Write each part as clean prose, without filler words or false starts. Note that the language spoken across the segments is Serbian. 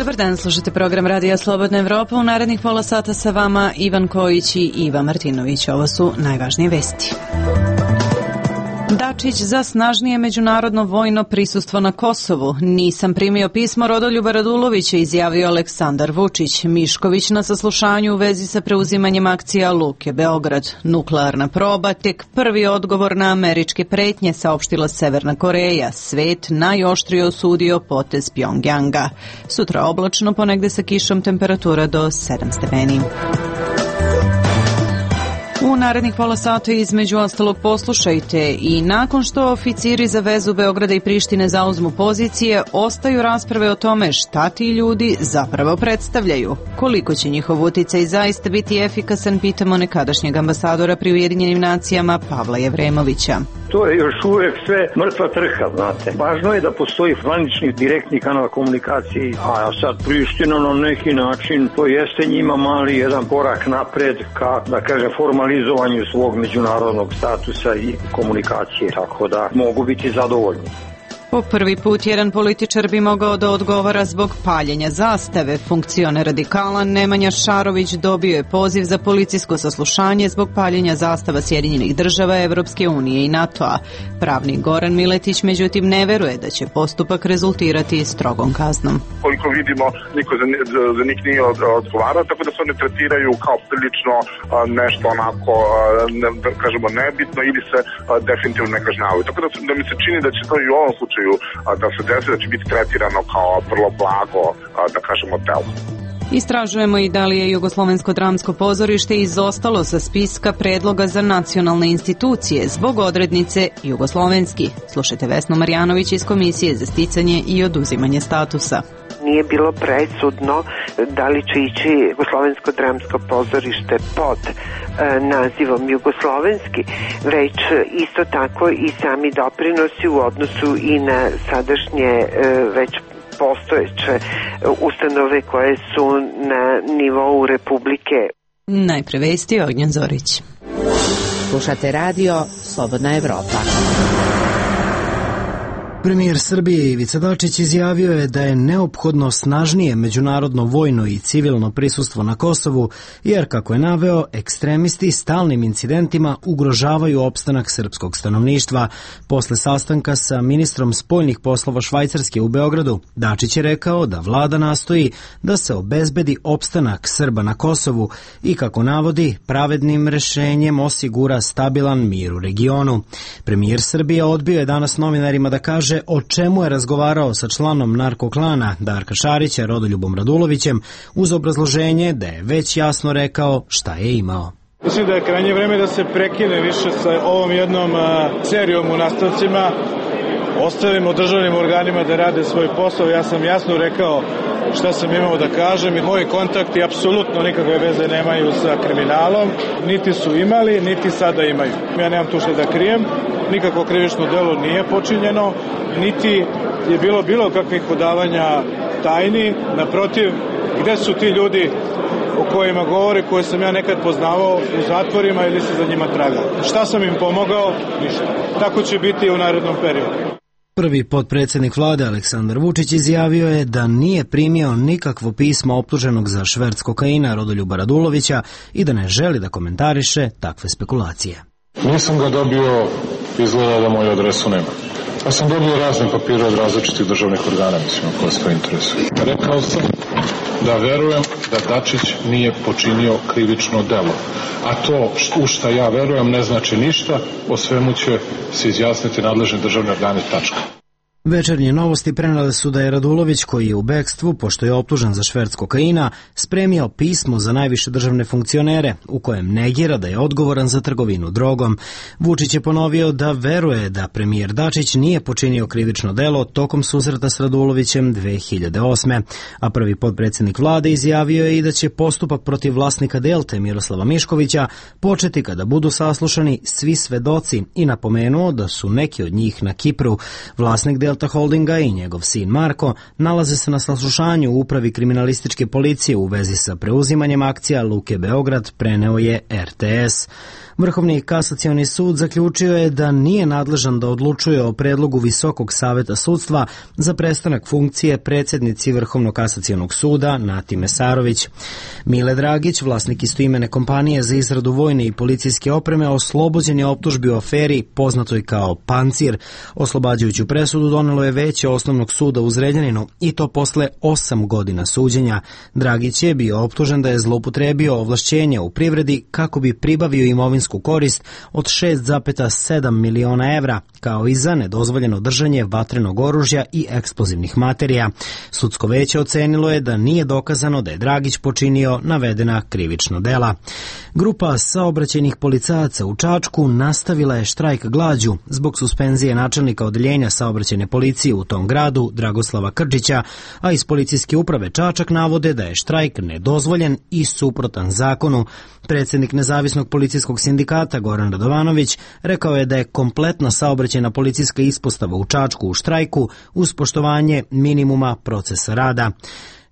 Dobar dan, slušate program Radija Slobodna Evropa. U narednih pola sata sa vama Ivan Kojić i Iva Martinović. Ovo su najvažnije vesti. Dačić za snažnije međunarodno vojno prisustvo na Kosovu. Nisam primio pismo Rodoljuba Radulovića, izjavio Aleksandar Vučić. Mišković na saslušanju u vezi sa preuzimanjem akcija Luke Beograd. Nuklearna proba, tek prvi odgovor na američke pretnje, saopštila Severna Koreja. Svet najoštrije osudio potez Pjongjanga. Sutra oblačno, ponegde sa kišom, temperatura do 7 stepeni. U narednih pola sata između ostalog poslušajte i nakon što oficiri za vezu Beograda i Prištine zauzmu pozicije, ostaju rasprave o tome šta ti ljudi zapravo predstavljaju. Koliko će njihov uticaj zaista biti efikasan, pitamo nekadašnjeg ambasadora pri Ujedinjenim nacijama Pavla Jevremovića. To je još uvijek sve mrtva trka, znate. Važno je da postoji zvanični direktni kanal komunikacije, a sad Priština na neki način to jeste njima mali jedan korak napred ka, da kažem, formalizovanju svog međunarodnog statusa i komunikacije, tako da mogu biti zadovoljni. Po prvi put jedan političar bi mogao da odgovara zbog paljenja zastave. Funkcioner radikala Nemanja Šarović dobio je poziv za policijsko saslušanje zbog paljenja zastava Sjedinjenih država, Evropske unije i NATO-a. Pravnik Goran Miletić međutim ne veruje da će postupak rezultirati strogom kaznom. Koliko vidimo, niko za njih nije odgovarao, tako da se one tretiraju kao prilično nešto onako, da kažemo, nebitno ili se definitivno ne kažnjavaju. Tako da mi se čini da će to i u ovom slučaju da se desi da će biti tretirano kao vrlo blago, da kažemo, delo. Istražujemo i da li je Jugoslovensko dramsko pozorište izostalo sa spiska predloga za nacionalne institucije zbog odrednice jugoslovenski. Slušajte Vesnu Marjanović iz Komisije za sticanje i oduzimanje statusa. Nije bilo presudno da li će ići Jugoslovensko dramsko pozorište pod nazivom jugoslovenski, već isto tako i sami doprinosi u odnosu i na sadašnje već postojeće ustanove koje su na nivou Republike. Najpre vesti, Ognjen Zorić. Slušate radio Slobodna Evropa. Premijer Srbije Ivica Dačić izjavio je da je neophodno snažnije međunarodno vojno i civilno prisustvo na Kosovu, jer, kako je naveo, ekstremisti stalnim incidentima ugrožavaju opstanak srpskog stanovništva. Posle sastanka sa ministrom spoljnih poslova Švajcarske u Beogradu, Dačić je rekao da vlada nastoji da se obezbedi opstanak Srba na Kosovu i, kako navodi, pravednim rešenjem osigura stabilan mir u regionu. Premijer Srbije odbio je danas novinarima da kaže o čemu je razgovarao sa članom narkoklana Darka Šarića, Rodoljubom Radulovićem, uz obrazloženje da je već jasno rekao šta je imao. Mislim da je krajnje vreme da se prekine više sa ovom jednom serijom u nastavcima, ostavimo državnim organima da rade svoj posao. Ja sam jasno rekao šta sam imao da kažem i moji kontakti apsolutno nikakve veze nemaju sa kriminalom, niti su imali, niti sada imaju. Ja nemam tu što da krijem, nikako krivično delo nije počinjeno, niti je bilo kakvih odavanja tajni. Naprotiv, gde su ti ljudi o kojima govore, koje sam ja nekad poznavao u zatvorima ili se za njima tragao? Šta sam im pomogao? Ništa. Tako će biti i u narednom periodu. Prvi potpredsjednik vlade Aleksandar Vučić izjavio je da nije primio nikakvo pismo optuženog za šverc kokaina Rodoljuba Radulovića i da ne želi da komentariše takve spekulacije. Nisam ga dobio, izgleda da moju adresu nema. Ja sam dobio razne papire od različitih državnih organa, mislim, koje se to interesuje. Rekao sam da verujem da Dačić nije počinio krivično delo. A to u šta ja verujem ne znači ništa, o svemu će se izjasniti nadležni državni organi, tačka. Večernje novosti prenele su da je Radulović, koji je u bekstvu, pošto je optužen za šverc kokaina, spremio pismo za najviše državne funkcionere, u kojem negira da je odgovoran za trgovinu drogom. Vučić je ponovio da veruje da premijer Dačić nije počinio krivično delo tokom susreta s Radulovićem 2008. A prvi potpredsjednik vlade izjavio je i da će postupak protiv vlasnika Delte Miroslava Miškovića početi kada budu saslušani svi svedoci i napomenuo da su neki od njih na Kipru. Vlasnik Delta Holdinga i njegov sin Marko nalaze se na saslušanju u upravi kriminalističke policije u vezi sa preuzimanjem akcija Luke Beograd, preneo je RTS. Vrhovni kasacioni sud zaključio je da nije nadležan da odlučuje o predlogu Visokog saveta sudstva za prestanak funkcije predsjednici Vrhovnog kasacionog suda Nati Mesarović. Mile Dragić, vlasnik istoimene kompanije za izradu vojne i policijske opreme, oslobođen je optužbi u aferi poznatoj kao Pancir. Oslobađajuću presudu donelo je Veće osnovnog suda u Zrenjaninu i to posle 8 godina suđenja. Dragić je bio optužen da je zloupotrebio ovlašćenja u privredi kako bi pribavio imovinsku korist od 6,7 miliona evra, kao i za nedozvoljeno držanje vatrenog oružja i eksplozivnih materija. Sudsko veće ocenilo je da nije dokazano da je Dragić počinio navedena krivična dela. Grupa saobraćajnih policajaca u Čačku nastavila je štrajk glađu zbog suspenzije načelnika odeljenja saobraćajne policije u tom gradu Dragoslava Krčića, a iz policijske uprave Čačak navode da je štrajk nedozvoljen i suprotan zakonu. Predsjednik Nezavisnog policijskog sindikata Goran Radovanović rekao je da je kompletna saobraćajna policijska ispostava u Čačku u štrajku uz poštovanje minimuma procesa rada.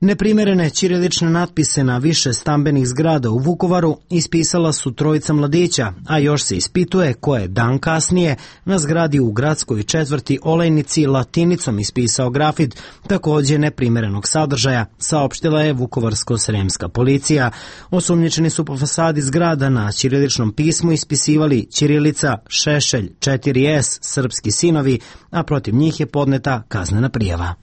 Neprimerene ćirilične natpise na više stambenih zgrada u Vukovaru ispisala su trojica mladića, a još se ispituje ko je dan kasnije na zgradi u gradskoj četvrti Olejnici latinicom ispisao grafit također neprimerenog sadržaja, saopštila je vukovarsko-sremska policija. Osumnjičeni su po fasadi zgrada na ćiriličnom pismu ispisivali ćirilica, Šešelj, 4S, srpski sinovi, a protiv njih je podneta kaznena prijava.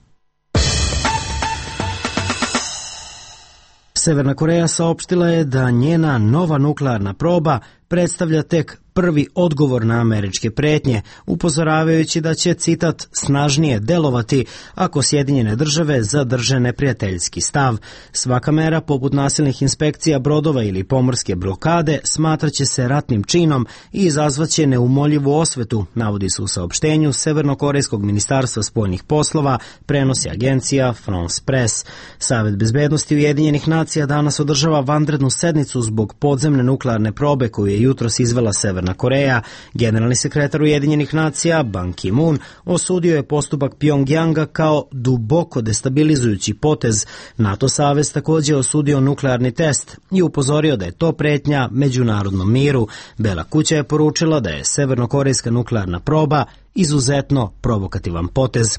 Severna Koreja saopštila je da njena nova nuklearna proba predstavlja tek prvi odgovor na američke pretnje, upozoravajući da će, citat, snažnije delovati ako Sjedinjene države zadrže neprijateljski stav. Svaka mera, poput nasilnih inspekcija brodova ili pomorske blokade, smatraće se ratnim činom i izazvaće neumoljivu osvetu, navodi se u saopštenju Severnokorejskog ministarstva spoljnih poslova, prenosi agencija France Press. Savet bezbednosti Ujedinjenih nacija danas održava vanrednu sednicu zbog podzemne nuklearne probe koju je jutros izvela Severna Koreja. Generalni sekretar Ujedinjenih nacija Ban Ki-moon osudio je postupak Pjongjanga kao duboko destabilizujući potez. NATO savez također osudio nuklearni test i upozorio da je to pretnja međunarodnom miru. Bela kuća je poručila da je severnokorejska nuklearna proba izuzetno provokativan potez.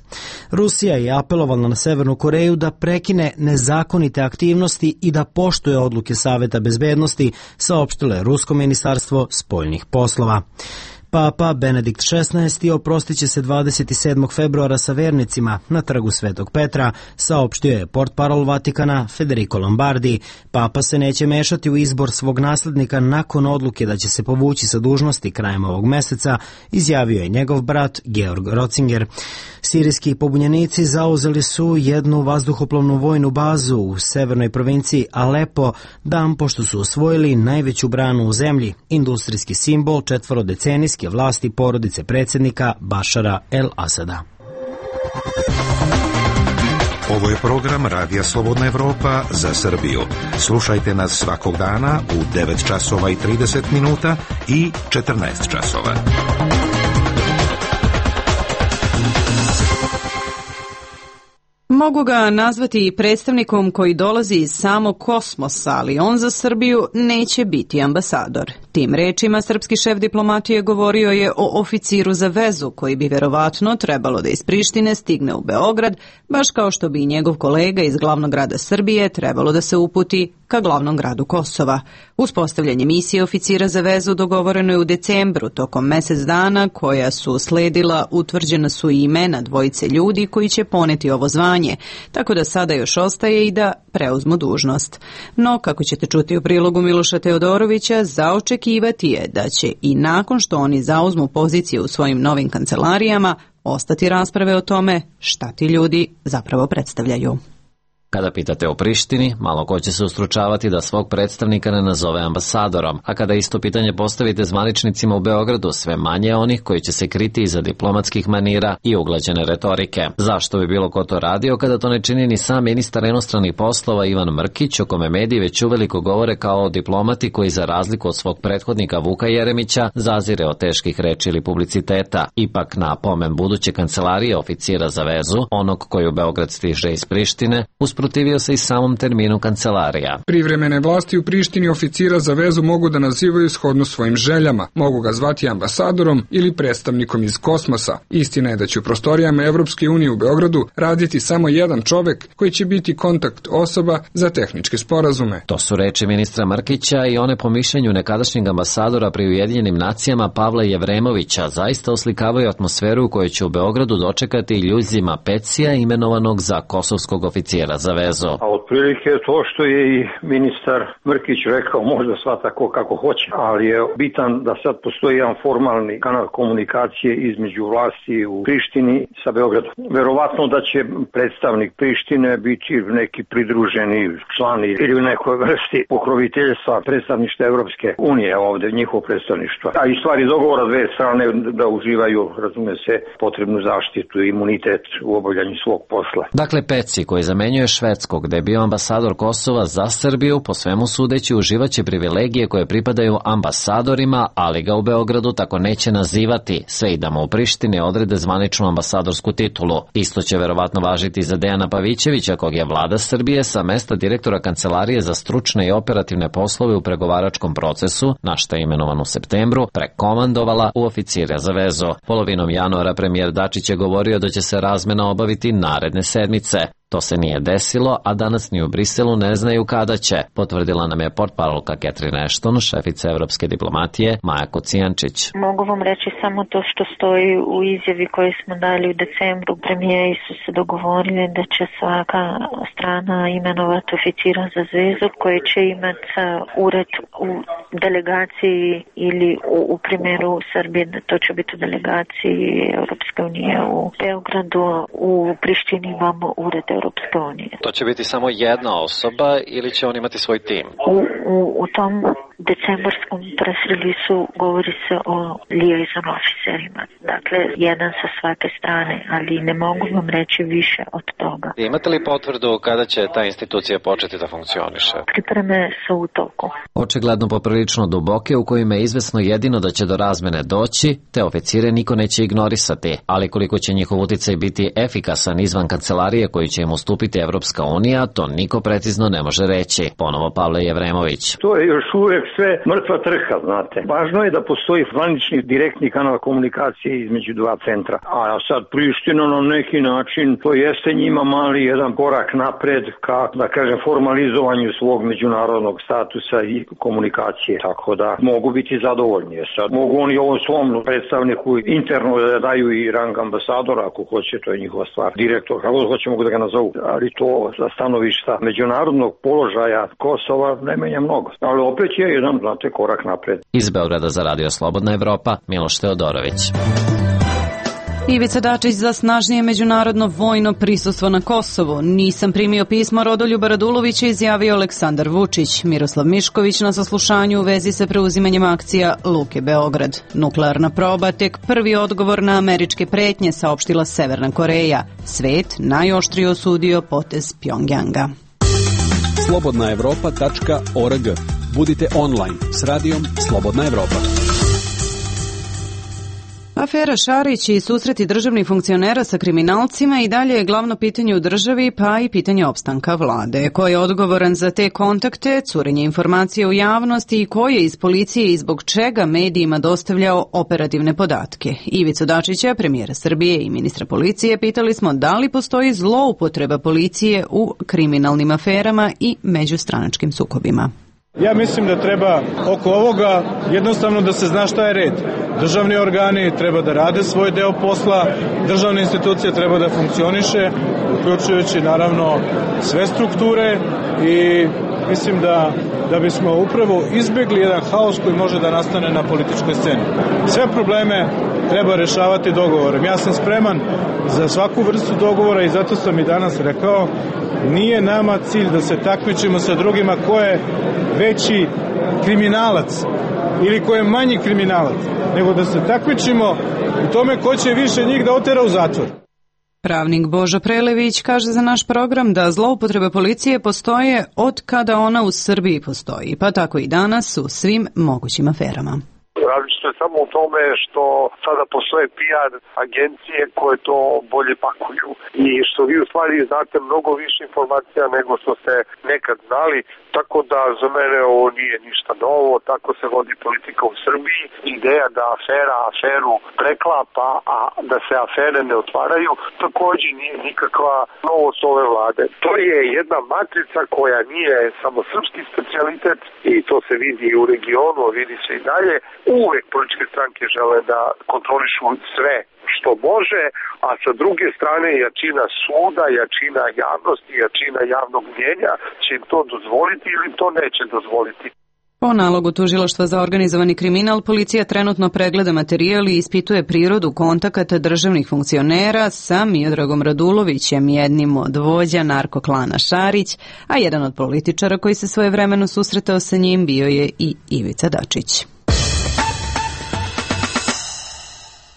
Rusija je apelovala na Severnu Koreju da prekine nezakonite aktivnosti i da poštuje odluke Saveta bezbednosti, saopštilo je Rusko ministarstvo spoljnih poslova. Papa Benedikt XVI oprostit će se 27. februara sa vernicima na trgu Svetog Petra, saopštio je portparol Vatikana Federico Lombardi. Papa se neće mešati u izbor svog naslednika nakon odluke da će se povući sa dužnosti krajem ovog meseca, izjavio je njegov brat Georg Rocinger. Sirijski pobunjenici zauzeli su jednu vazduhoplovnu vojnu bazu u severnoj provinciji Alepo, dan pošto su osvojili najveću branu u zemlji, industrijski simbol četvorodecenijske vlasti porodice predsjednika Bašara el-Asada. Ovo je program Radija Slobodna Evropa za Srbiju. Slušajte nas svakog dana u 9 časova i 30 minuta i 14 časova. Mogu ga nazvati predstavnikom koji dolazi iz samog kosmosa, ali on za Srbiju neće biti ambasador. Tim rečima srpski šef diplomatije govorio je o oficiru za vezu koji bi verovatno trebalo da iz Prištine stigne u Beograd, baš kao što bi i njegov kolega iz glavnog grada Srbije trebalo da se uputi ka glavnom gradu Kosova. Uspostavljanje misije oficira za vezu dogovoreno je u decembru. Tokom mesec dana koja su sledila utvrđena su i imena dvojice ljudi koji će poneti ovo zvanje, tako da sada još ostaje i da preuzmu dužnost. No, kako ćete čuti u prilogu Miloša Teodorovića, za očekivati je da će i nakon što oni zauzmu pozicije u svojim novim kancelarijama ostati rasprave o tome šta ti ljudi zapravo predstavljaju. Kada pitate o Prištini, malo ko će se ustručavati da svog predstavnika ne nazove ambasadorom, a kada isto pitanje postavite zvaničnicima u Beogradu, sve manje onih koji će se kriti iza diplomatskih manira i uglađene retorike. Zašto bi bilo ko to radio kada to ne čini ni sam ministar inostranih poslova Ivan Mrkić, o kome mediji već uveliko govore kao o diplomati koji za razliku od svog prethodnika Vuka Jeremića zazire od teških reči ili publiciteta. Ipak na pomen buduće kancelarije oficira za vezu, onog koji u Beograd stiže iz Prištine, uz usprotivio se i samom terminu kancelarija. Privremene vlasti u Prištini oficira za vezu mogu da nazivaju shodno svojim željama, mogu ga zvati ambasadorom ili predstavnikom iz kosmosa. Istina je da će u prostorijama Evropske unije u Beogradu raditi samo jedan čovek koji će biti kontakt osoba za tehničke sporazume. To su reči ministra Mrkića i one po mišljenju nekadašnjeg ambasadora pri Ujedinjenim nacijama Pavla Jevremovića zaista oslikavaju atmosferu u kojoj će u Beogradu dočekati Ljuzima Pecija imenovanog za kosovskog oficijera za vezu. A otprilike to što je i ministar Mrkić rekao, možda sva tako kako hoće, ali je bitan da sad postoji jedan formalni kanal komunikacije između vlasti u Prištini sa Beogradom. Verovatno da će predstavnik Prištine biti neki pridruženi član ili u nekoj vrsti pokroviteljstva predstavništva Evropske unije, ovde njihovo predstavništvo. A i stvari dogovora dve strane da uživaju, razume se, potrebnu zaštitu i imunitet u obavljanju svog posla. Dakle, Peci, koji zamenjuje Švedskog, gde je bio ambasador Kosova za Srbiju, po svemu sudeći uživaće privilegije koje pripadaju ambasadorima, ali ga u Beogradu tako neće nazivati, sve i da mu u Prištini odrede zvaničnu ambasadorsku titulu. Isto će verovatno važiti za Dejana Pavićevića, kog je vlada Srbije sa mesta direktora Kancelarije za stručne i operativne poslove u pregovaračkom procesu, na što je imenovan u septembru, prekomandovala u oficira za vezu. Polovinom januara premijer Dačić je govorio da će se razmena obaviti naredne sedmice. To se nije desilo, a danas ni u Briselu ne znaju kada će, potvrdila nam je portparolka Catherine Ashton, šefica evropske diplomatije Maja Kocijančić. Mogu vam reći samo to što stoji u izjavi koju smo dali u decembru. Premijeri su se dogovorili da će svaka strana imenovati oficira za vezu koji će imati ured u delegaciji ili u primjeru Srbije, to će biti u delegaciji Europske unije u Beogradu, u Prištini imamo ured Europske unije. To će biti samo jedna osoba ili će on imati svoj tim? U tom decembarskom press release-u govori se o liaison officerima. Dakle, jedan sa svake strane, ali ne mogu vam reći više od toga. Imate li potvrdu kada će ta institucija početi da funkcioniše? Pripreme su u toku. Očigledno poprilično duboke, u kojima je izvesno jedino da će do razmene doći, te oficire niko neće ignorisati, ali koliko će njihov uticaj biti efikasan izvan kancelarije koju će im ustupiti Evropska unija, to niko precizno ne može reći. Ponovo Pavle Jevremović. To je još uvek sve mrtva trka, znate. Važno je da postoji zvanični direktni kanal komunikacije između dva centra. A sad Priština na neki način, to jeste njima mali jedan korak napred ka, da kažem, formalizovanju svog međunarodnog statusa i komunikacije. Tako da mogu biti zadovoljni. Sad mogu oni ovom svom predstavniku interno da daju i rang ambasadora, ako hoće, to je njihova stvar. Direktor, kako hoće mogu da ga nazovu. Ali to sa stanovišta međunarodnog položaja Kosova ne menja mnogo. Ali opet je jedan, znate, korak napred. Iz Beograda za Radio Slobodna Evropa, Miloš Teodorović. Ivica Dačić za snažnije međunarodno vojno prisustvo na Kosovu. Nisam primio pismo Rodoljuba Radulovića, izjavio Aleksandar Vučić. Miroslav Mišković na saslušanju u vezi sa preuzimanjem akcija Luke Beograd. Nuklearna proba, tek prvi odgovor na američke pretnje, saopštila Severna Koreja. Svet najoštrije osudio potez Pjongjanga. slobodnaevropa.org. Budite online s radijom Slobodna Evropa. Afera Šarić i susreti državnih funkcionera sa kriminalcima i dalje je glavno pitanje u državi, pa i pitanje opstanka vlade. Ko je odgovoran za te kontakte, curenje informacije u javnosti i ko je iz policije i zbog čega medijima dostavljao operativne podatke? Ivicu Dačića, premijera Srbije i ministra policije, pitali smo da li postoji zloupotreba policije u kriminalnim aferama i međustranačkim sukobima. Ja mislim da treba oko ovoga jednostavno da se zna šta je red. Državni organi treba da rade svoj deo posla, državne institucije treba da funkcioniše, uključujući naravno sve strukture i mislim da bismo upravo izbjegli jedan haos koji može da nastane na političkoj sceni. Sve probleme treba rešavati dogovorem. Ja sam spreman za svaku vrstu dogovora i zato sam i danas rekao, nije nama cilj da se takmičimo sa drugima ko je veći kriminalac ili ko je manji kriminalac, nego da se takmičimo u tome ko će više njih da otera u zatvor. Pravnik Božo Prelević kaže za naš program da zloupotrebe policije postoje od kada ona u Srbiji postoji, pa tako i danas u svim mogućim aferama. Različito je samo u tome što sada postoje PR agencije koje to bolje pakuju i što vi u stvari znate mnogo više informacija nego što ste nekad znali, tako da za mene ovo nije ništa novo, tako se vodi politika u Srbiji. Ideja da afera aferu preklapa, a da se afere ne otvaraju, takođe nije nikakva novost ove vlade. To je jedna matrica koja nije samo srpski specijalitet i to se vidi i u regionu, a vidi se i dalje. Uvek političke stranke žele da kontrolišu sve što može, a sa druge strane jačina suda, jačina javnosti, jačina javnog mnjenja će im to dozvoliti ili to neće dozvoliti. Po nalogu Tužilaštva za organizovani kriminal, policija trenutno pregleda materijal i ispituje prirodu kontakata državnih funkcionera sa Miodragom Radulovićem, jednim od vođa narkoklana Šarić, a jedan od političara koji se svojevremeno susretao sa njim bio je i Ivica Dačić.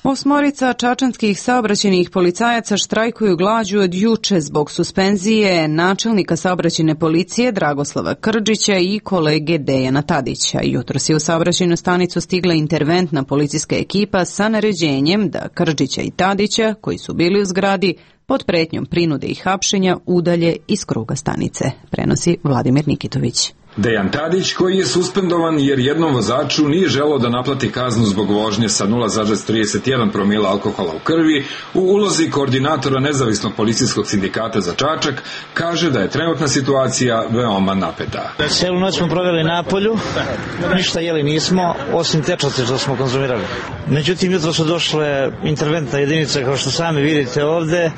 8 čačanskih saobraćajnih policajaca štrajkuju glađu od juče zbog suspenzije načelnika saobraćajne policije Dragoslava Krdžića i kolege Dejana Tadića. Jutros je u saobraćajnu stanicu stigla interventna policijska ekipa sa naređenjem da Krdžića i Tadića, koji su bili u zgradi, pod pretnjom prinude i hapšenja udalje iz kruga stanice, prenosi Vladimir Nikitović. Dejan Tadić, koji je suspendovan jer jednom vozaču nije želeo da naplati kaznu zbog vožnje sa 0,31 promila alkohola u krvi, u ulozi koordinatora nezavisnog policijskog sindikata za Čačak, kaže da je trenutna situacija veoma napeta. Celu noć smo proveli na polju, ništa jeli nismo, osim tečnosti što smo konzumirali. Međutim, jutro su došle interventna jedinica, kao što sami vidite ovde.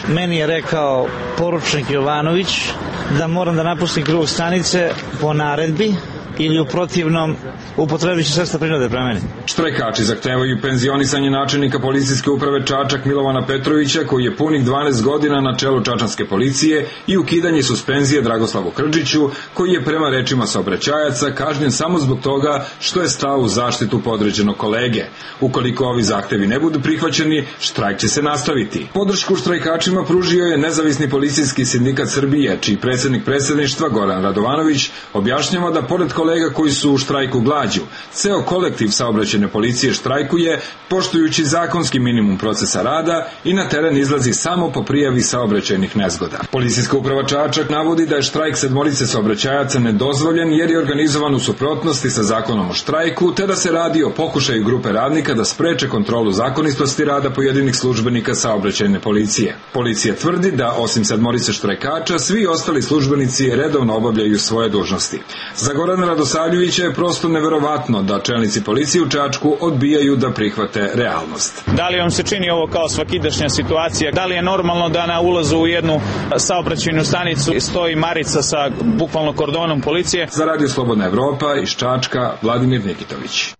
Meni je rekao poručnik Jovanović da moram da napustim krug stanice po naredbi ili u protivnom upotrebići sredstva prinude prema meni. Štrajkači zahtevaju penzionisanje načelnika policijske uprave Čačak Milovana Petrovića, koji je punih 12 godina na čelu čačanske policije, i ukidanje suspenzije Dragoslavu Krdžiću, koji je prema rečima saobraćajaca kažnjen samo zbog toga što je stao u zaštitu podređenog kolege. Ukoliko ovi zahtevi ne budu prihvaćeni, štrajk će se nastaviti. Podršku štrajkačima pružio je Nezavisni policijski sindikat Srbije, čiji predsednik predsedništva Goran Radovanović objašnjava da pored kolega koji su u štrajku glađu, ceo kolektiv saobraćajne policije štrajkuje poštujući zakonski minimum procesa rada i na teren izlazi samo po prijavi saobraćajnih nezgoda. Policijska uprava Čačak navodi da je štrajk 7 saobraćajaca nedozvoljen jer je organizovan u suprotnosti sa zakonom o štrajku, te da se radi o pokušaju grupe radnika da spreče kontrolu zakonitosti rada pojedinih službenika saobraćajne policije. Policija tvrdi da osim 7 štrajkača, svi ostali službenici redovno obavljaju svoje dužnosti. Za Gorana Radosavljevića je prosto neverovatno da čelnici policije u Čačku odbijaju da prihvate realnost. Da li vam se čini ovo kao svakidašnja situacija? Da li je normalno da na ulazu u jednu saobraćajnu stanicu stoji marica sa bukvalno kordonom policije? Za Radio Slobodna Evropa iz Čačka, Vladimir Nikitović.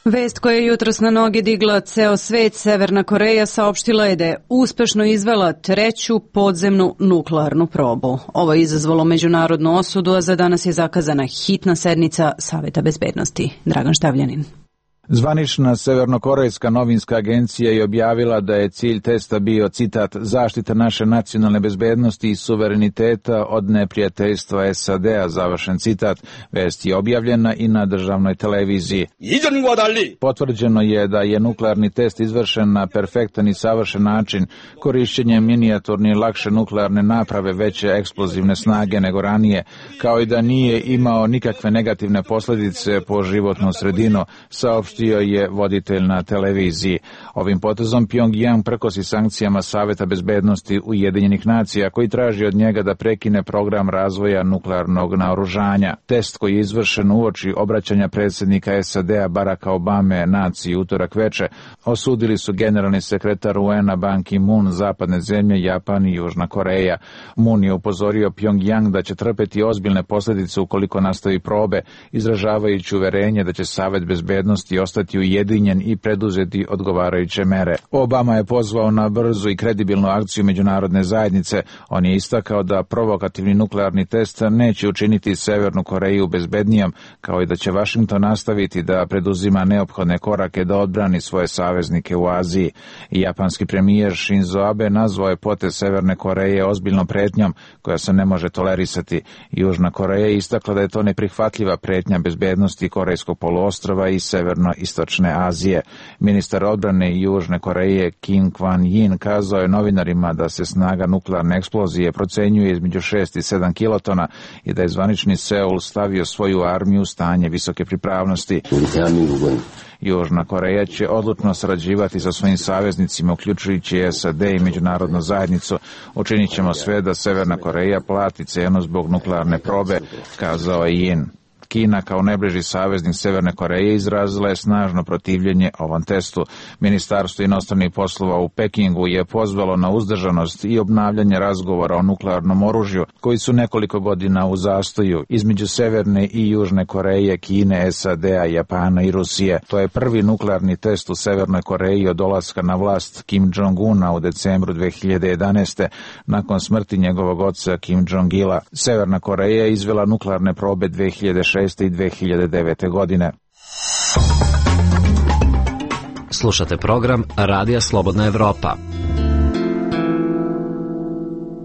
Vest koja je jutros na noge digla ceo svet, Severna Koreja saopštila je da je uspešno izvela 3. podzemnu nuklearnu probu. Ovo je izazvalo međunarodnu osudu, a za danas je zakazana hitna sednica Saveta bezbednosti. Dragan Štavljanin. Zvanična severnokorejska novinska agencija je objavila da je cilj testa bio, citat, zaštita naše nacionalne bezbednosti i suvereniteta od neprijateljstva SAD-a, završen citat. Vest je objavljena i na državnoj televiziji. Potvrđeno je da je nuklearni test izvršen na perfektan i savršen način, korišćenjem minijaturne i lakše nuklearne naprave veće eksplozivne snage nego ranije, kao i da nije imao nikakve negativne posledice po životnu sredinu, saopštio je voditelj na televiziji. Ovim potezom Pyongyang prkosi sankcijama Saveta bezbednosti Ujedinjenih nacija, koji traži od njega da prekine program razvoja nuklearnog naoružanja. Test koji je izvršen uoči obraćanja predsjednika SAD-a Baracka Obame naciji utorak veče, osudili su generalni sekretar UN-a Ban Ki-moon, zapadne zemlje, Japan i Južna Koreja. Moon je upozorio Pyongyang da će trpeti ozbiljne posljedice ukoliko nastavi probe, izražavajući uverenje da će Savet bezbednosti ostati ujedinjen i preduzeti odgovarajuće mere. Obama je pozvao na brzu i kredibilnu akciju međunarodne zajednice. On je istakao da provokativni nuklearni test neće učiniti Severnu Koreju bezbednijom, kao i da će Vašington nastaviti da preduzima neophodne korake da odbrani svoje saveznike u Aziji. I japanski premijer Shinzo Abe nazvao je potez Severne Koreje ozbiljnom pretnjom koja se ne može tolerisati. Južna Koreja je istakla da je to neprihvatljiva pretnja bezbednosti Korejskog poluostrva i severno-istočne Azije. Ministar odbrane Južne Koreje Kim Kwan-yin kazao je novinarima da se snaga nuklearne eksplozije procenjuje između 6 i 7 kilotona i da je zvanični Seul stavio svoju armiju u stanje visoke pripravnosti. Južna Koreja će odlučno sarađivati sa svojim saveznicima, uključujući SAD i međunarodnu zajednicu. Učinit ćemo sve da Severna Koreja plati cenu zbog nuklearne probe, kazao je Yin. Kina kao najbliži saveznik Severne Koreje izrazila je snažno protivljenje ovom testu. Ministarstvo inostranih poslova u Pekingu je pozvalo na uzdržanost i obnavljanje razgovora o nuklearnom oružju, koji su nekoliko godina u zastoju između Severne i Južne Koreje, Kine, SAD-a, Japana i Rusije. To je prvi nuklearni test u Severnoj Koreji od dolaska na vlast Kim Jong-una u decembru 2011. nakon smrti njegovog oca Kim Jong-ila. Severna Koreja je izvela nuklearne probe 2006. i 2009. godine. Slušate program Radija Slobodna Evropa.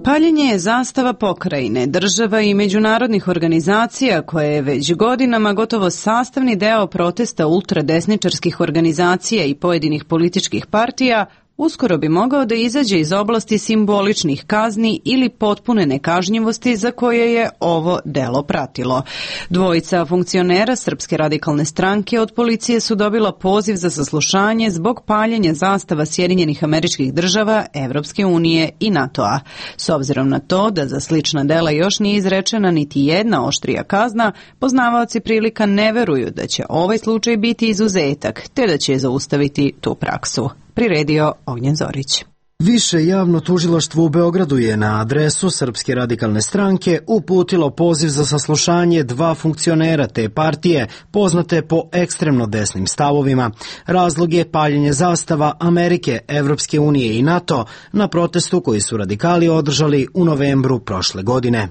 Paljenje je zastava pokrajine, država i međunarodnih organizacija koje je već godinama gotovo sastavni deo protesta ultradesničarskih organizacija i pojedinih političkih partija uskoro bi mogao da izađe iz oblasti simboličnih kazni ili potpune nekažnjivosti za koje je ovo delo pratilo. Dvojica funkcionera Srpske radikalne stranke od policije su dobila poziv za saslušanje zbog paljenja zastava Sjedinjenih Američkih Država, Evropske unije i NATO-a. S obzirom na to da za slična dela još nije izrečena niti jedna oštrija kazna, poznavaoci prilika ne veruju da će ovaj slučaj biti izuzetak, te da će zaustaviti tu praksu. Priredio Ognjen Zorić. Više javno tužilaštvo u Beogradu je na adresu Srpske radikalne stranke uputilo poziv za saslušanje dva funkcionera te partije, poznate po ekstremno desnim stavovima. Razlog je paljenje zastava Amerike, Evropske unije i NATO na protestu koji su radikali održali u novembru prošle godine.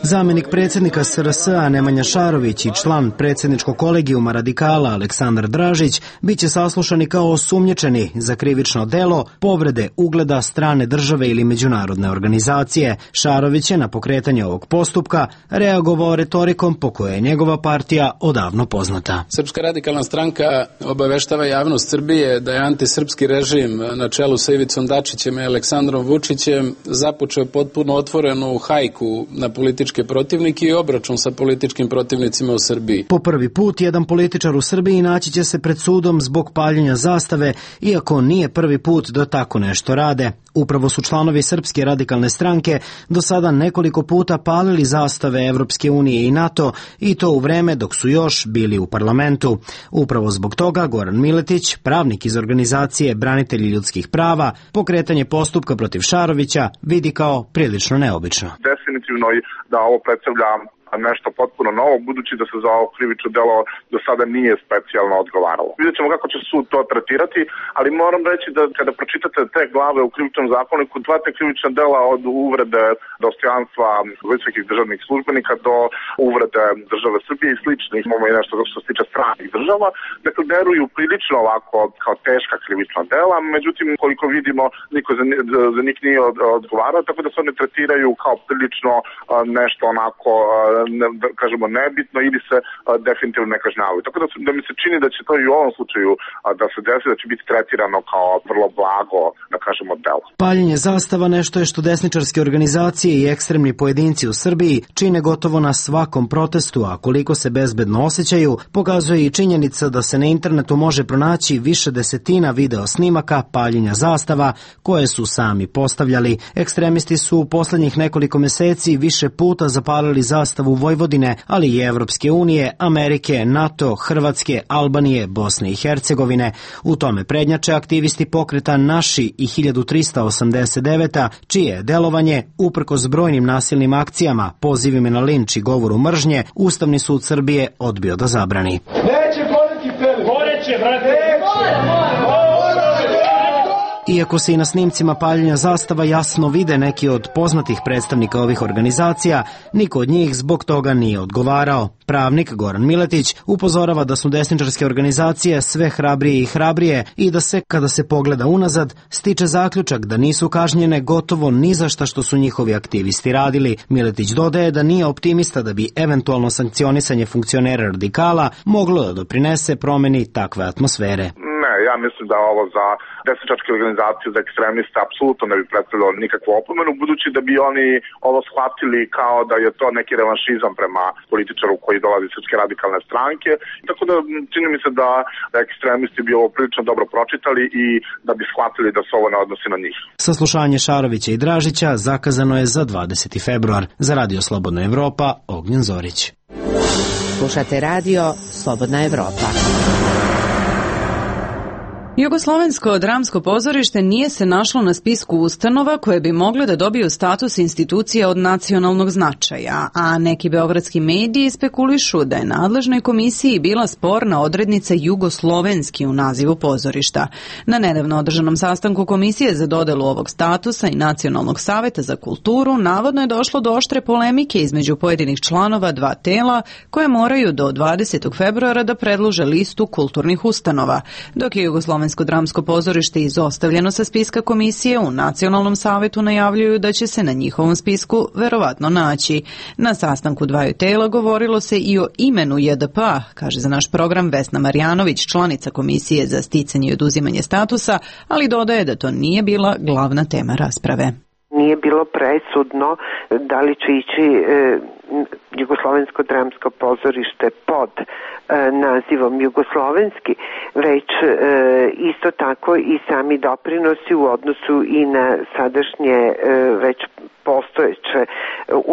Zamenik predsjednika SRS-a Nemanja Šarović i član predsjedničkog kolegijuma radikala Aleksandar Dražić biće saslušani kao osumnjičeni za krivično delo povrede ugleda strane države ili međunarodne organizacije. Šarović je na pokretanje ovog postupka reagovao retorikom po kojoj je njegova partija odavno poznata. Srpska radikalna stranka obaveštava javnost Srbije da je antisrpski režim na čelu sa Ivicom Dačićem i Aleksandrom Vučićem započeo potpuno otvorenu hajku na političke protivnike i obračun sa političkim protivnicima u Srbiji. Po prvi put jedan političar u Srbiji naći će se pred sudom zbog paljenja zastave, iako nije prvi put da tako nešto rade. Upravo su članovi Srpske radikalne stranke do sada nekoliko puta palili zastave Evropske unije i NATO, i to u vreme dok su još bili u parlamentu. Upravo zbog toga Goran Miletić, pravnik iz organizacije Branitelji ljudskih prava, pokretanje postupka protiv Šarovića vidi kao prilično neobično. Definitivno da ovo predstavlja nešto potpuno novo, budući da se za ovo krivično delo do sada nije specijalno odgovaralo. Vidjet ćemo kako će sud to tretirati, ali moram reći da kada pročitate te glave u krivičnom zakoniku, dva te krivična dela od uvrede dostojanstva visokih državnih službenika do uvrede države Srbije i sličnih, imamo i nešto što se tiče stranih država, dakle deruju prilično ovako kao teška krivična dela, međutim koliko vidimo niko za njih nije odgovarao, tako da se one tretiraju kao prilično nešto onako da kažemo nebitno ili se definitivno ne kažnjavaju. Tako da mi se čini da će to i u ovom slučaju da se desi, da će biti tretirano kao vrlo blago, da kažemo, delo. Paljenje zastava nešto je što desničarske organizacije i ekstremni pojedinci u Srbiji čine gotovo na svakom protestu, a koliko se bezbedno osjećaju pokazuje i činjenica da se na internetu može pronaći više desetina video snimaka paljenja zastava koje su sami postavljali. Ekstremisti su u poslednjih nekoliko meseci više puta zapalili zastavu sastavu Vojvodine, ali i Evropske unije, Amerike, NATO, Hrvatske, Albanije, Bosne i Hercegovine. U tome prednjače aktivisti pokreta Naši i 1389, čije je delovanje, uprkos brojnim nasilnim akcijama, pozivima na linč i govoru mržnje, Ustavni sud Srbije odbio da zabrani. Neće politi peli! Poreće, brate! Iako se i na snimcima paljenja zastava jasno vide neki od poznatih predstavnika ovih organizacija, niko od njih zbog toga nije odgovarao. Pravnik Goran Miletić upozorava da su desničarske organizacije sve hrabrije i hrabrije i da se, kada se pogleda unazad, stiče zaključak da nisu kažnjene gotovo ni za šta što su njihovi aktivisti radili. Miletić dodaje da nije optimista da bi eventualno sankcionisanje funkcionera radikala moglo da doprinese promeni takve atmosfere. Ja mislim da ovo za desničarske organizacije, za ekstremiste, apsolutno ne bi predstavljalo nikakvu opomenu, budući da bi oni ovo shvatili kao da je to neki revanšizam prema političaru koji dolazi iz Srpske radikalne stranke. Tako da čini mi se da ekstremisti bi ovo prilično dobro pročitali i da bi shvatili da se ovo ne odnosi na njih. Saslušanje Šarovića i Dražića zakazano je za 20. februar. Za Radio Slobodna Evropa, Ognjen Zorić. Slušate Radio Slobodna Evropa. Jugoslovensko dramsko pozorište nije se našlo na spisku ustanova koje bi mogle da dobiju status institucija od nacionalnog značaja, a neki beogradski mediji spekulišu da je nadležnoj komisiji bila sporna odrednica jugoslovenski u nazivu pozorišta. Na nedavno održanom sastanku Komisije za dodelu ovog statusa i Nacionalnog saveta za kulturu navodno je došlo do oštre polemike između pojedinih članova dva tela koje moraju do 20. februara da predlože listu kulturnih ustanova, dok je Jugoslovensko dramsko pozorište izostavljeno sa spiska komisije, u Nacionalnom savetu najavljuju da će se na njihovom spisku verovatno naći. Na sastanku dvaju tela govorilo se i o imenu JDP, kaže za naš program Vesna Marjanović, članica komisije za sticanje i oduzimanje statusa, ali dodaje da to nije bila glavna tema rasprave. Nije bilo presudno da li će ići Jugoslovensko dramsko pozorište pod nazivom Jugoslovenski, već isto tako i sami doprinosi u odnosu i na sadašnje već postojeće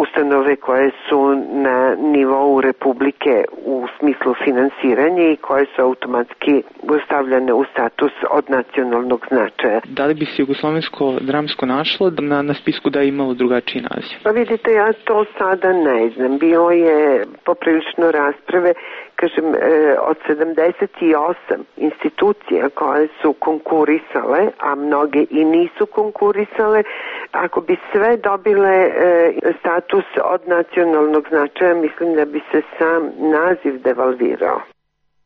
ustanove koje su na nivou Republike u smislu finansiranja i koje su automatski stavljene u status od nacionalnog značaja. Da li bi se Jugoslovensko dramsko našlo na spisku da je imalo drugačiji naziv? Pa vidite, ja to sada ne znam. Bilo je poprilično rasprave, kažem, od 78 institucija koje su konkurisale, a mnoge i nisu konkurisale. Ako bi sve dobile status od nacionalnog značaja, mislim da bi se sam naziv devalvirao.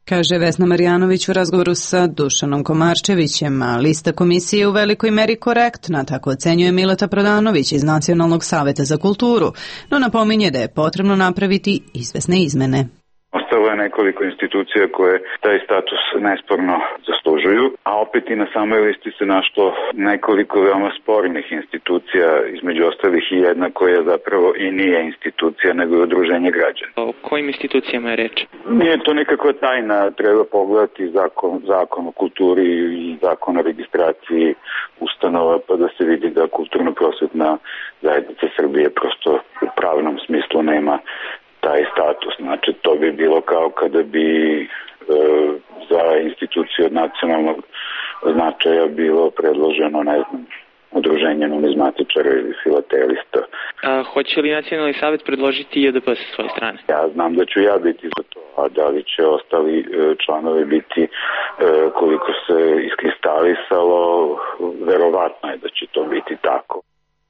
Kaže Vesna Marjanović u razgovoru sa Dušanom Komarčevićem, a lista komisije je u velikoj meri korektna, tako ocenjuje Mileta Prodanović iz Nacionalnog saveta za kulturu, no napominje da je potrebno napraviti izvesne izmene. Ostalo je nekoliko institucija koje taj status nesporno zaslužuju, a opet i na samoj listi se našlo nekoliko veoma spornih institucija, između ostalih i jedna koja zapravo i nije institucija, nego je udruženje građana. O kojim institucijama je reč? Nije to nekakva tajna, treba pogledati zakon o kulturi i zakon o registraciji ustanova, pa da se vidi da kulturno-prosvetna zajednica Srbije prosto u pravnom smislu nema taj status. Znači, to bi bilo kao kada bi za instituciju od nacionalnog značaja bilo predloženo, ne znam, udruženje numizmatičara ili filatelista. Hoće li Nacionalni savet predložiti JDP sa svoje strane? Ja znam da ću ja biti za to, a da li će ostali članovi biti, koliko se iskristalisalo, verovatno je da će to biti tako.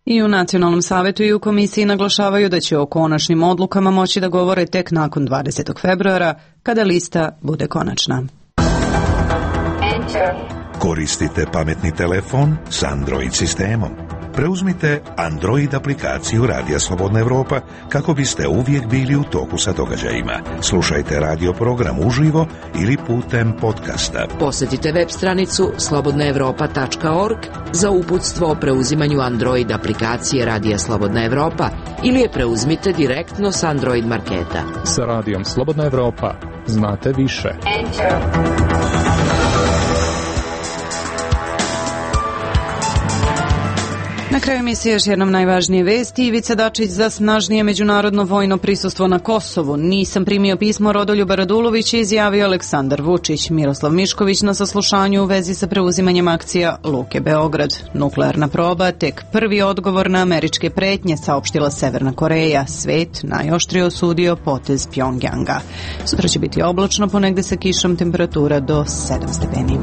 I u Nacionalnom savetu i u komisiji naglašavaju da će o konačnim odlukama moći da govore tek nakon 20. februara, kada lista bude konačna. Koristite pametni telefon s Android sistemom. Preuzmite Android aplikaciju Radija Slobodna Evropa kako biste uvijek bili u toku sa događajima. Slušajte radio program uživo ili putem podcasta. Posjetite web stranicu slobodnaevropa.org za uputstvo o preuzimanju Android aplikacije Radija Slobodna Evropa ili je preuzmite direktno s Android marketa. Sa Radijom Slobodna Evropa znate više. Na kraju emisije još jednom najvažnije vesti. Ivica Dačić za snažnije međunarodno vojno prisustvo na Kosovu. Nisam primio pismo Rodoljuba Radulovića, izjavio Aleksandar Vučić. Miroslav Mišković na saslušanju u vezi sa preuzimanjem akcija Luke Beograd. Nuklearna proba, tek prvi odgovor na američke pretnje, saopštila Severna Koreja. Svet najoštrije osudio potez Pjongjanga. Sutra će biti oblačno, ponegde sa kišom, temperatura do 7 stepeni.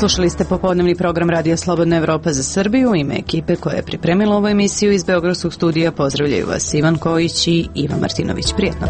Slušali ste popodnevni program Radija Slobodna Evropa za Srbiju. U ime ekipe koja je pripremila ovu emisiju iz Beogradskog studija pozdravljaju vas Ivan Kojić i Ivan Martinović. Prijetno.